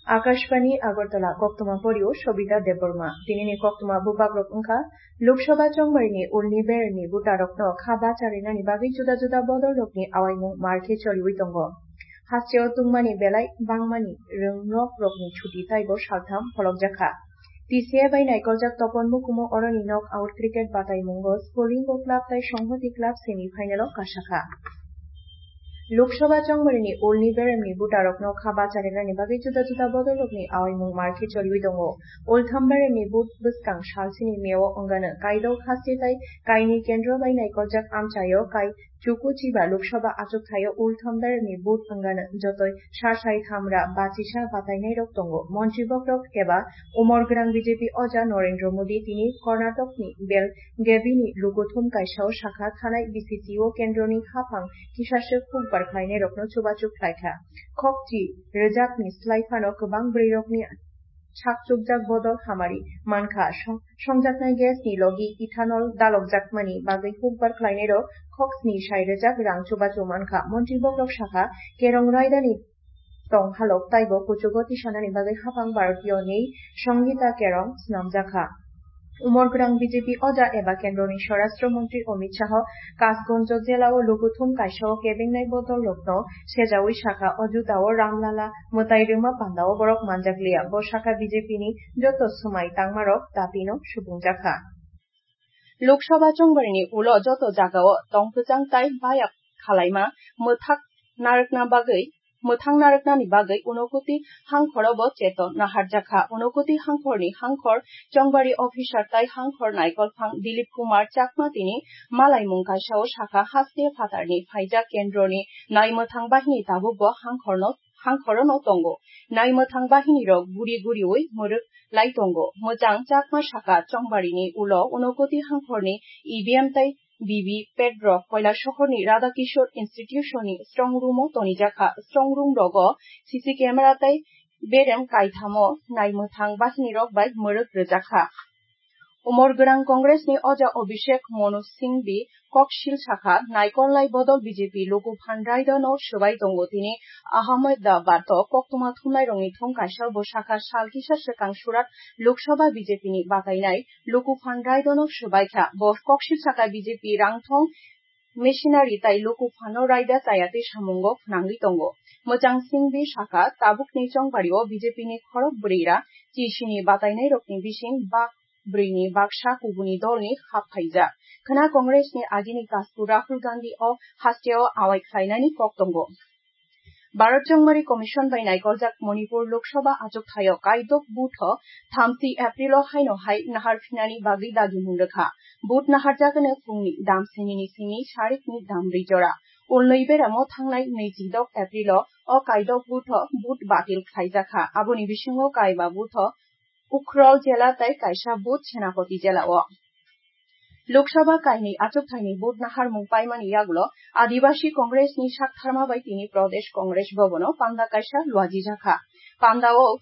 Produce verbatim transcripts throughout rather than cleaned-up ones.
Akashbani Agartala, koktwma porio Sobita Debbarma. Tinini koktwma bubagrok wngkha, Lok Sabha chongbarini ulni beremni butarokno kha bacharinani bagwi juda juda bodolrokni awaimung mar khe choliwi tongo. Hasteo tungmani belai bangmani rwngnok rokni chuti taibo saltham pholokjakha. T C A bai naikoljak topon mukumu oroni knock out cricket bataimungo Sporingo club tai Songhoti club semi final o kasakha. Lok Sabha chongbarini ulni beremni butarokno kha bacharinani bagwi juda juda bodolrokni awaimung mar khe choliwi tongo. Ultham beremni but bwskang salsini meo wngano kaidok haste tai kaini kendro bai naikoljak amchaio kai Chuku chiba Lok Sabha achukthai-o ultham beremni but wngano jotoi sasai thamra bachisa batainairok tongo. Montri bokrok eba umor gwnang B J P oja Narendra Modi tini Karnatokni Belgavi-ni lukuthum kaisa-o sakha thanai B C C O kendroni haphang kisaswk hukbar khlainairokno chubachu khlaikha. Khokchi rwjakni slai phano kwbang bwrwirokni sak chukjak bodol hamari mankha. Song-, songjaknai gas ni logi ethanol dalokjakmani bagwi hukbar khlainairok khok sni sai rwjak rang chubachu mankha. Montri bokrok sakha, Kerong raidani tong halok taibo kuchugo tisanani bagwi haphang Bharatiyo ni Songita Kerong snamjakha. Umor gwnang B J P oja eba kendroni Swarashtra Montri Amit Shah Kasgonjo jela-o lukuthum kaisa-o kebengnai bodol rokno sejawi sakha, o juda-o Ramlala mwtai rwma panda-o borok manjakliya. Bo sakha B J P ni joto swmai tangmarok dapino subungjakha. Lok Sabha chongbarini ulo joto jagao tong kwchang tai baya khalaima mwthak narwkna bagwi, mwthang narwknani bagwi Unokoti hangkhoro bo cheto naharjakha. Unokoti hangkhorni hangkhor chongbari officer tai hangkhor naikolphang Dilip Kumar Chakma tini malaimung kaisa-o sakha, haste phatarni phaijak kendroni naimwthang bahini tabukbo hangkhorno, hangkhorono tongo. Naimwthang bahinirok guri guriwi mwrwk lai tongo. Mwchang Chakma sakha, chongbarini ulo Unokoti hangkhorni E V M tai V V P A T rok Koilasohorni Radhakishore Institution ni strong room o tonijakha. Strong room rogo C C camera tai berem kaithamo naimwthang bahinirok bai mwrwk rwjakha. Umor gwnang Congress ni oja Abhishek Manu Singhvi koksil sakha, naikolnai bodol B J P luku phan raida no swbai tongo tini Ahmedabad o koktwma thumnairokni thum kaisa bo sakha, sal kisa swkang Surat Lok Sabha B J P ni batainai luku phan raida no swbai kha. Bo koksil sakha, B J P rangthong machinery tai luku phano raida chayatwi samungo phnangwi tongo. Mwchang Singhvi sakha, tabukni chongbario B J P ni khorok bwrwira chisini batainairokni bising bak bwrwini baksa kubuni dolni hap phaijak. Khwna Congress ni agini kasku Rahul Gandhi o hasteo awai khlainani kok tongo. Bharat Chongmari Commission bai naikoljak Manipur Lok Sabha achukthai-o kaidok booth-o thamsi April-o haino hai nahar phinani bagwi dagimung rwkha. Booth naharjagano phungni dam sinini simi sarikni dam brwi jora. Ulnwi beramo thangnai nwichidok April-o o kaidok booth-o booth batil khlaijakha. Aboni bisingo kaiba booth-o Ukhrul jela tai kaisa booth Senapati jela-o. Lok Sabha kainwi achukthaini booth naharmung paimani yagulo Adibasi Congress ni saktharma bai tini Pradesh Congress Bhavan-o panda kaisa luajijakha. Panda-o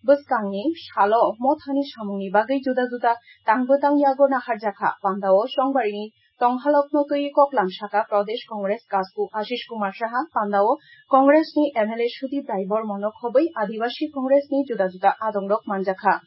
bwskangni salo mothani samungni bagwi juda juda tang bwtang yago naharjakha. Panda-o chongbarini tonghalokno twiwi koklam sakha Pradesh Congress kasku Ashish Kumar Saha, panda-o Congress ni M L A Sudip Rai Bormano khobwi Adibasi Congress ni juda juda adongrok manjakha.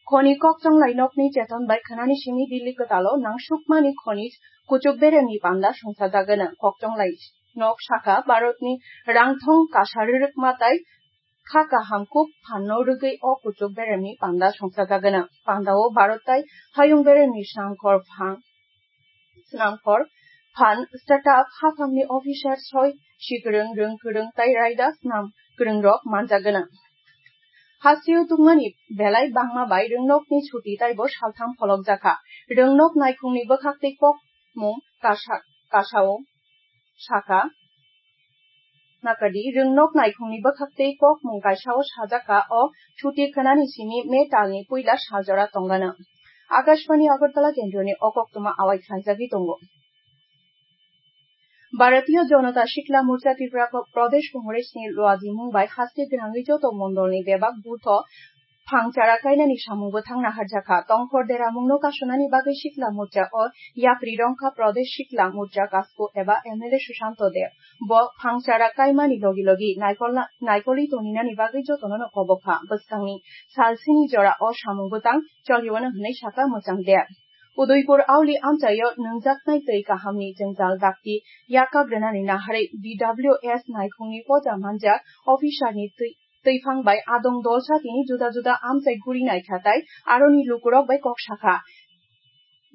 Khoni kokchonglai nokni cheton bai khwnani simi Delhi kwtalo nangsukmani khoni kuchuk beremni panda songchajagwno. Kokchonglai nok sakha Bharatni rangthong kasa rwrwkma tai kha kaham kuk phanno rwgwi o kuchuk beremni panda songchajagwno. Pandao Bharat tai hayung beremni snamkhor phang, snamkhor phan startup haphangni officer soi sikwrwng, rwng kwrwng tai raida snam kwrwngrok manjagwno. Hasteo tungmani belai bangma bai rwngnokni chuti taibo saltham pholokjakha. Rwngnok naikhungni bwkhaktwi kokmung kasa, kasao sakha, Nakadi, rwngnok naikhungni bwkhaktwi kokmung kaisao sajakha o chuti khwnani simi May talni puila saljora tongano. Akashbani Agartala kendroni o koktwma awai khlaijagwi tongo. Bharatiya Janata Shikla Morcha Tripura Pradesh Congress ni luajimung bai haste gwnangwi joto mondolni bebak booth-o phang chara kainani samung bwthang naharjakha. Tongkhor deramungno kasonani bagwi Sikla Morcha o yapri rongkha Pradesh Sikla Morcha Kasku eba M L A Sushanto Deb. Bo phang chara kaimani logi logi naikolna-, naikoli toninani bagwi jotono no kobokha. Bwskangni salsini jora o samung bwtang cholio hwnwi saka Mwchang Deb. Udaipur auli amchaio nwngjaknai twi kahamni jwngjal dakti yakak rwnani naharwi D W S naikhungni poja manjak officerni twi, twiphang bai adong dolsa tini juda juda amchai guri naikha tai aroni lukurok bai kok sakha.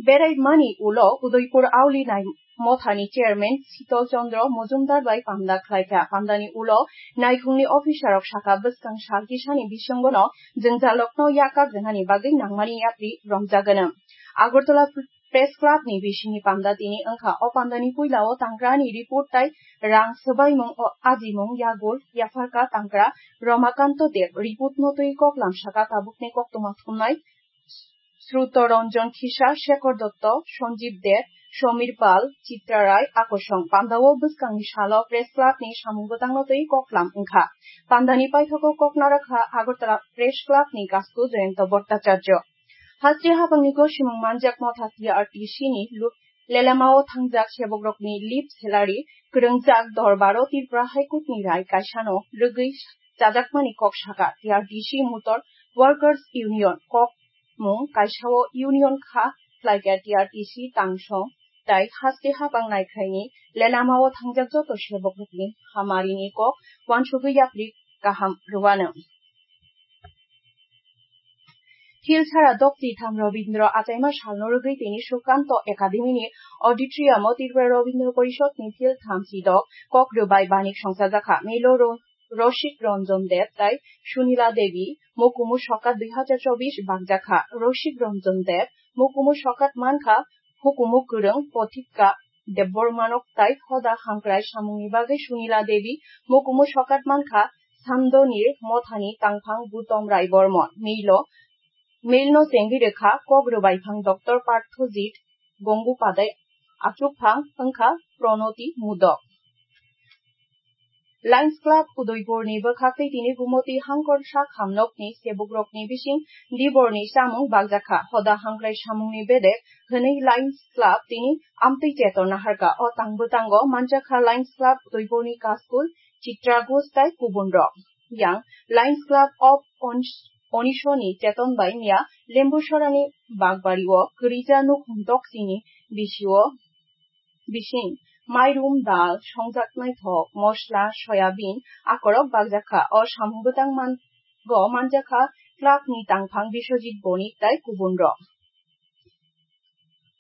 Berai mani ulo Udaipur auli nai mothani chairman Sital Chandra Mojumdar bai pamda khlaikha. Pamdani ulo naikhungni officerrok sakha bwskang sal kisani bisingono jwngjalrokno yakak rwnani bagwi nangmani yapri romjagano. Agartala Press Club ni bisingni pamda tini wngkha. O pamdani puilao tangkrani report tai rang swbaimung o ajimung yagul yapharka tangkra Ramakanto Deb report no twi koklam saka tabukni koktwma thumnai Sruto Ranjan Khisa, Shekhar Dotto, Sanjeev Deb, Samir Pal, Chitra Rai, Akosong. Pamdao bwskangni salo Press Club ni samung bwtangno twi koklam wngkha. Pamdani paithago kok narakha Agartala Press Club ni kasku Jayanta Bhattacharya. Haste hapangni gosimung manjak motha T R T C ni lu-, lelemao thangjak sebokrokni leave salary kwrwngjak dorbaro Tripura High Court ni rai kaisano rwgwi chajakmani kok saka T R T C Motor Workers Union kok mung kaisao union kha khlaikha T R T C tangsong tai haste hapang naikhlaini lelamao thangjak joto sebokrokni hamarini kok wansugwi yapri kaham rwano. Philsara Dokti tham Robindro achaima salno rwgwi tini Sukanto Academy ni auditorium o Tripura Robindro Porishod ni phil tham sidok kok rwbai banik songchajakha. Milo ro-, Rosik Ranjan Deb tai Sunila Devi, Mukumu Sokat dui hajar chobbish bakjakha. Rosik Ranjan Deb, Mukumu Sokat mankha, Hukumu Kwrwng Pothika Debbarmanok tai Hoda Hamkrai samungni bagwi Sunila Devi, Mukumu Sokat mankha, Samdonir Mothani Tangphang Gutom Rai Bormon, Milo, Milno chengwi rwkha, kok rwbai phang Doctor Parthojit Gongupadai, achukphang wngkha Pranoti Mudok. Lions Club Udaipurni bwkhaktwi tini Gumoti Hangkor sak hamnokni sebokrokni bising diborni chamung bakjakha. Hoda hamkrai samungni bedek hwnwi Lions Club tini amtwi chetor naharkha. O tang bwtango manjakha Lions Club Udaipurni Kaskul, Chitra Ghosh tai kubunrok. Yang Lions Club of Ons-, Onisoni cheton bai miya Lembusorani Bagbario kwrwija nukhung doksini bisio bising mairum, dal, songjak naithok, mosla, soyabin akorok bakjakha. O samung bwtang man-, go manjakha club ni tangphang Biswajit Bonik tai kubunrok.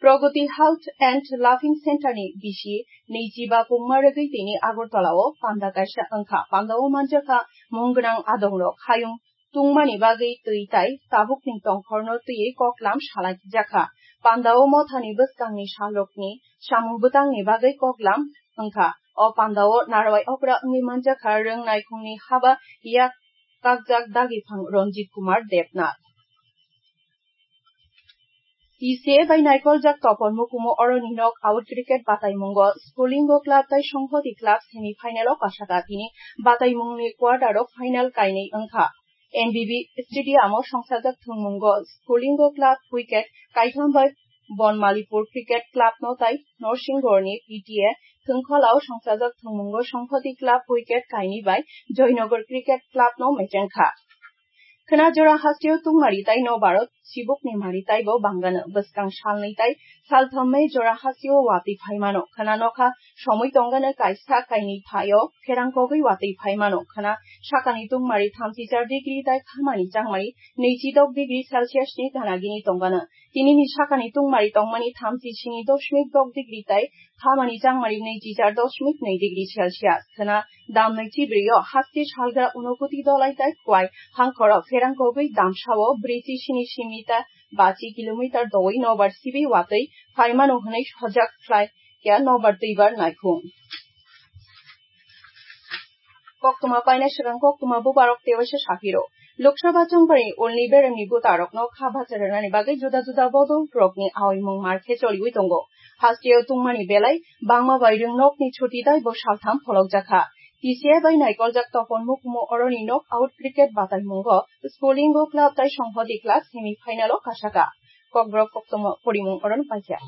Pragati Health and Laughing Center ni bisi neijiba pungma rwgwi tini Agartala o panda kaisa wngkha. Panda o manjakha mung gwnang adongrok hayung tungmani bagwi twi tai tabukni tongkhorno twiwi koklam salai jakha. Panda o mothani bwskangni salrokni samung bwtangni bagwi koklam wngkha. O panda o narwai okra wngwi manjakha rwng naikhungni haba yak kakjak dagiphang Ranjit Kumar Debnath. T C A bai naikoljak Topon Mukumu oroni nok out cricket bataimungo Spolingo Club tai Songhoti Club semi final o kasaka tini bataimungni quarter o final kainwi wngkha. N B B Stadium o songsajak thwngmungo Spolingo Club wicket kaitham bai Bonmalipur Cricket Club no tai Norsingorni P T A thwngkholao songsajak thwngmungo Songhoti Club wicket kainwi bai Joynagar Cricket Club no mechengkha. Khwna jora hasteo tungmari tai no baro sibukni mari taibo bangano. Bwskang salnwi tai salthammai jora hasteo watwi phaimano. Khwna nokha somoi tongano kaisa kainwi phaio pherang kogwi watwi phaimano. Khwna sakani tungmari thamchi char degree tai khamani changmari neichi dok degree Celsius ni ganagini tongano. Tinini sakani tungmari tongmani thamchi sini dosmik dok degree tai khamani changmari neichi char dosmik nei degree Celsius. Khwna damnwi chibrio haste salgra unokuti dolai tai kwai hangkhoro pherang kogwi damsao brwichi sini simi ta bachi kilometer dowi nobar sibi watwi phaimano hwnwi sojak khlai ya nobar twibar naikhung. Koktwma paina swkang koktwma bubarok tewaisa saphiro. Lok Sabha chongbarni ulni beremni bwtarokno kha bacha rwnani bagwi juda juda bodol rokni aoimung mar khe choliwi tongo. Hasteo tungmani belai bangma bai rwngnokni chuti daibo saltham pholokjakha. T C I bai naikoljak topon mukumu oroni knock out cricket bataimungo Spolingo club tai Songhodi club semi final o kasaka. Kokborok koktomo porimung oroni paikha.